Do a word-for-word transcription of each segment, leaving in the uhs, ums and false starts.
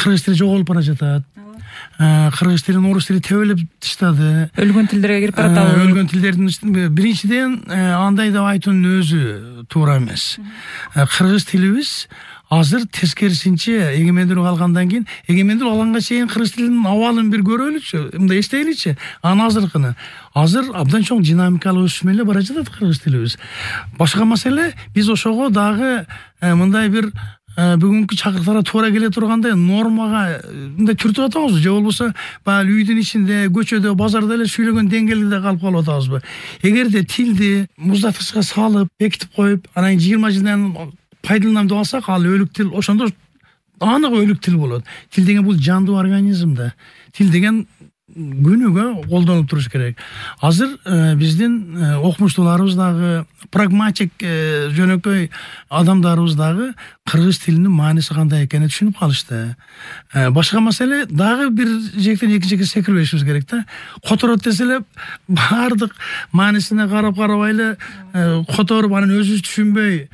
кыргыз тили жоголуп бара жатат. Кыргыз тилин орус тили тебелеп таштады. Өлгөн тилдерге кирип баратабы? Өлгөн тилдердин биринчиден андай деп айтуунун өзү туура эмес. Кыргыз тилибиз азыр тескерисинче эгемендүүлүк алгандан кийин эгемендүүлүк алганга чейин кыргыз тилинин абалын бир көрөлүчү, мындай эстейличи. Анан азыркыны азыр абдан чоң динамикалык өсүш менен бара жатат кыргыз тилибиз. Башка маселе, биз ошого дагы мындай бир бүгүнкү чакырыктарга туура келе тургандай нормага мындай түртүп атабызбы, же болбосо баягы үйдүн ичинде, көчөдө, базарда эле сүйлөгөн деңгээлде калып калып атабызбы? Эгерде тилди муздаткычка салып, бекитип коюп, анан жыйырма жылдан пайдаланам деп алсак, ал өлүк тил ошондо анык өлүк тил болот. Тил деген бул жандуу организм да. Тил деген күнүгө колдонуп туруш керек. Азыр биздин окумуштууларыбыз дагы, прагматик жөнөкөй адамдарыбыз дагы кыргыз тилинин мааниси кандай экенин түшүнүп калышты. Башка маселе, дагы бир жектен экинчиге секирбешибиз керек да. Которот десе эле баардык маанисине карап карабай эле которуп, анан өзүбүз түшүнбөй,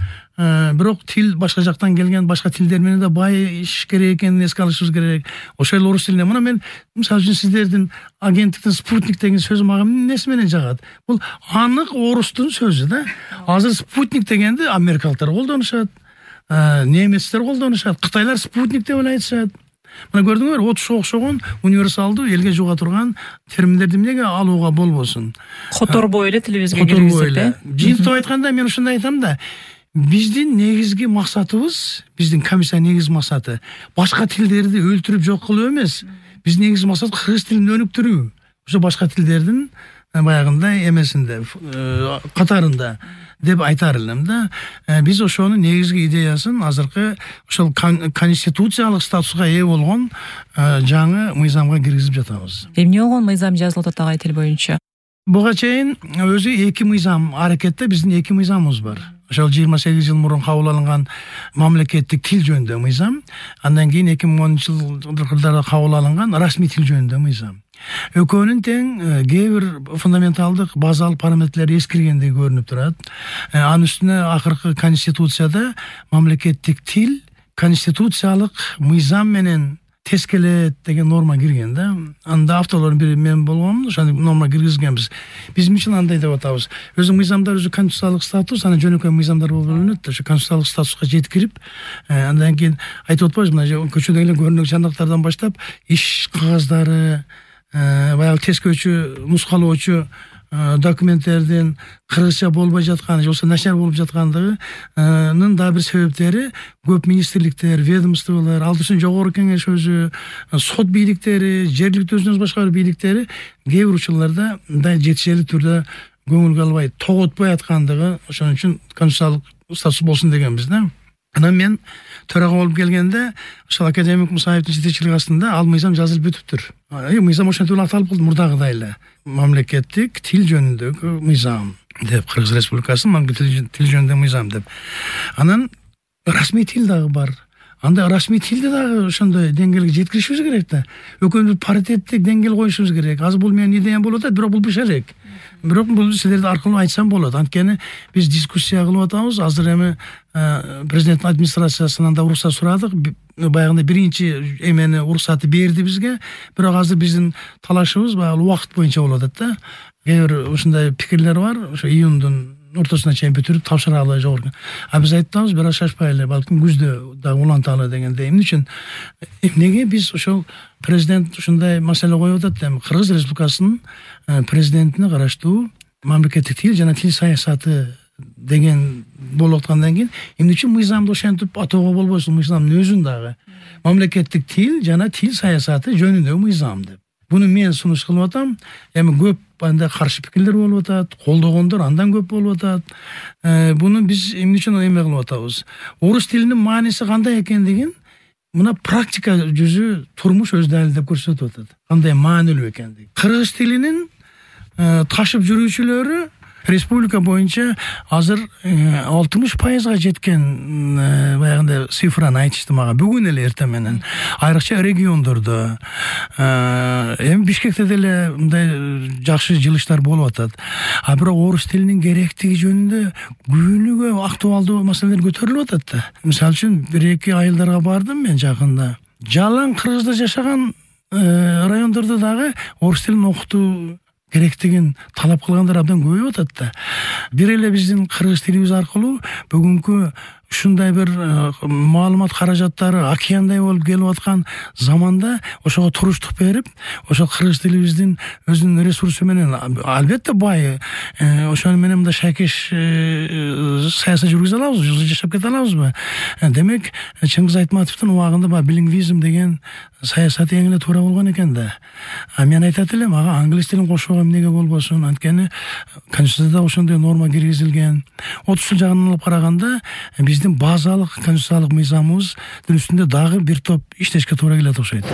бирок тил башка жактан келген, башка тилдер менен да байыш керек экенин эске алышыбыз керек. Ошол эле орус тилине. Мына мен мисалы үчүн сиздердин агенттиктин спутник деген сөзү мага эмнеси менен жагат? Бул анык орустун сөзү да. Азыр спутник дегенди америкалыктар колдонушат, немецтер колдонушат, кытайлар спутник деп эле айтышат. Мына көрдүңөр, отушка окшогон универсалдуу элге жуга турган терминдерди эмнеге алууга болбосун? Которбой эле тилибизге киргизип, э? Жыйынтык айтканда мен ушундай айтам да. Биздин негизги максатыбыз, биздин комиссия негизги максаты башка тилдерди өлтүрүп жок кылуу эмес. Биздин негизги максат кыргыз тилин өнүктүрүү. Ошо башка тилдердин баягындай эмесинде, катарында деп айтар элем да. Биз ошонун негизги идеясын азыркы ошол конституциялык статуска ээ болгон жаңы мыйзамга киргизип жатабыз. Эмне болгон мыйзам жазылып атат агай тил боюнча? Буга чейин өзү эки мыйзам, аракетте биздин эки мыйзамыбыз бар. Ошол жыйырма сегиз жыл мурун кабыл алынган мамлекеттик тил жөнүндө мыйзам, андан кийин эки миң онунчу жылдарда кабыл алынган расмий тил жөнүндө мыйзам. Экөөнүн тең кээ бир фундаменталдык базалык параметрлери эскиргендей көрүнүп турат. Анын үстүнө акыркы конституцияда мамлекеттик тил конституциялык мыйзам менен тескелет деген норма кирген да. Анда авторлордун бири мен болгонмун, ошону норма киргизгенбиз. Биз үчүн андай деп атабыз. Өзү мыйзамдар өзү конституциялык статус, анан жөнөкөй мыйзамдар болуп бөлүнөт. Ошо конституциялык статуска жеткирип, андан кийин айтып атпайбызбы, мына көчөдөгү эле көрүнүк жандыктардан баштап иш кагаздары, баягы тескөөчү, нускалоочу документтердин кыргызча болбой жатканы, же болбосо начар болуп жаткандыгынын да бир себептери көп министрликтер, ведомстволор, ал үчүн жогорку кеңеш өзү, сот бийликтери, жергиликтүү өзүнөн башка бир бийликтери кээ бир учурларда мындай жетишелүү түрдө көңүлгө албай, тоготпой аткандыгы, ошон үчүн конституциялык статус болсун дегенбиз да. Анан мен төрага болуп келгенде, ошол академик Мусаевдин жетекчилиги астында ал мыйзам жазылып бүтүптүр. Мыйзам ошентип эле аталып калды мурдагыдай эле. Мамлекеттик тил жөнүндөгү мыйзам деп, Кыргыз Республикасынын мамлекеттик тил жөнүндөгү мыйзам деп. Анан расмий тил дагы бар. Анда расмий тилди дагы ошондой деңгээлге жеткиришибиз керек да. Экөөбүз паритеттик деңгээл коюшубуз керек. Азыр бул менин идеям болуп атат, бирок бул бешерек. Бирок бул силерди аркылуу айтсам болот. Анткени биз дискуссия кылып атабыз. Азыр эми президенттин администрациясынан да уруксат сурадык. Баягындай биринчи эмени уруксаты берди бизге. Бирок азыр биздин талашыбыз баягы убакыт боюнча болуп атат да. Кээ бир ушундай пикирлер бар. Ошо июндун ортосуна чейин бүтүрүп тапшыралы жогорку. А биз айтабыз, бир аз шашпай эле, балким күздө да уланталы дегенде. Эмне үчүн? Эмнеге биз ошол президент ушундай маселе коюп атат эми Кыргыз Республикасынын президентине караштуу мамлекеттик тил жана тил саясаты деген болуп аткандан кийин эмне үчүн мыйзамды ошентип атоого болбойсун? Мыйзамдын өзүн дагы мамлекеттик тил жана тил саясаты жөнүндөгү мыйзам деп. Буну мен сунуш кылып атам. Эми көп анда каршы пикирлер болуп атат, колдогондор андан көп болуп атат. Буну биз эмне үчүн эме кылып атабыз? Орус тилинин мааниси кандай экендигин мына практика жүзү турмуш өз далилдеп көрсөтүп атат. Кандай маанилүү экендиги. Кыргыз тилинин ташып жүрүүчүлөрү республика боюнча азыр алтымыш пайызга жеткен баягындай цифраны айтышты мага бүгүн эле эртең менен. Айрыкча региондордо, эми Бишкекте деле мындай жакшы жылыштар болуп атат. А бирок орус тилинин керектиги жөнүндө күнүгө актуалдуу маселелер көтөрүлүп атат да. Мисалы үчүн бир эки айылдарга бардым мен жакында. жалаң кыргызда жашаган райондордо дагы орус тилин окутуу керектигин талап кылгандар абдан көбөйүп атат да. Бир эле биздин кыргыз тилибиз аркылуу бүгүнкү ушундай бир маалымат каражаттары океандай болуп келип аткан заманда ошого туруштук берип, ошол кыргыз тилибиздин өзүнүн ресурсу менен албетте бай, ошону менен мындай шайкеш саясат жүргүзө алабызбы, жашап кете алабызбы? Демек, Чыңгыз Айтматовдун убагында баягы билингвизм деген саясаты эң эле туура болгон экен да. А мен айтат элем, ага англис тилин кошууга эмнеге болбосун? Анткени Конституцияда ошондой норма киргизилген. отуз жыл жагынан алып караганда биздин базалык конституциялык мыйзамыбыз үстүндө дагы бир топ иштешке туура келет окшойт.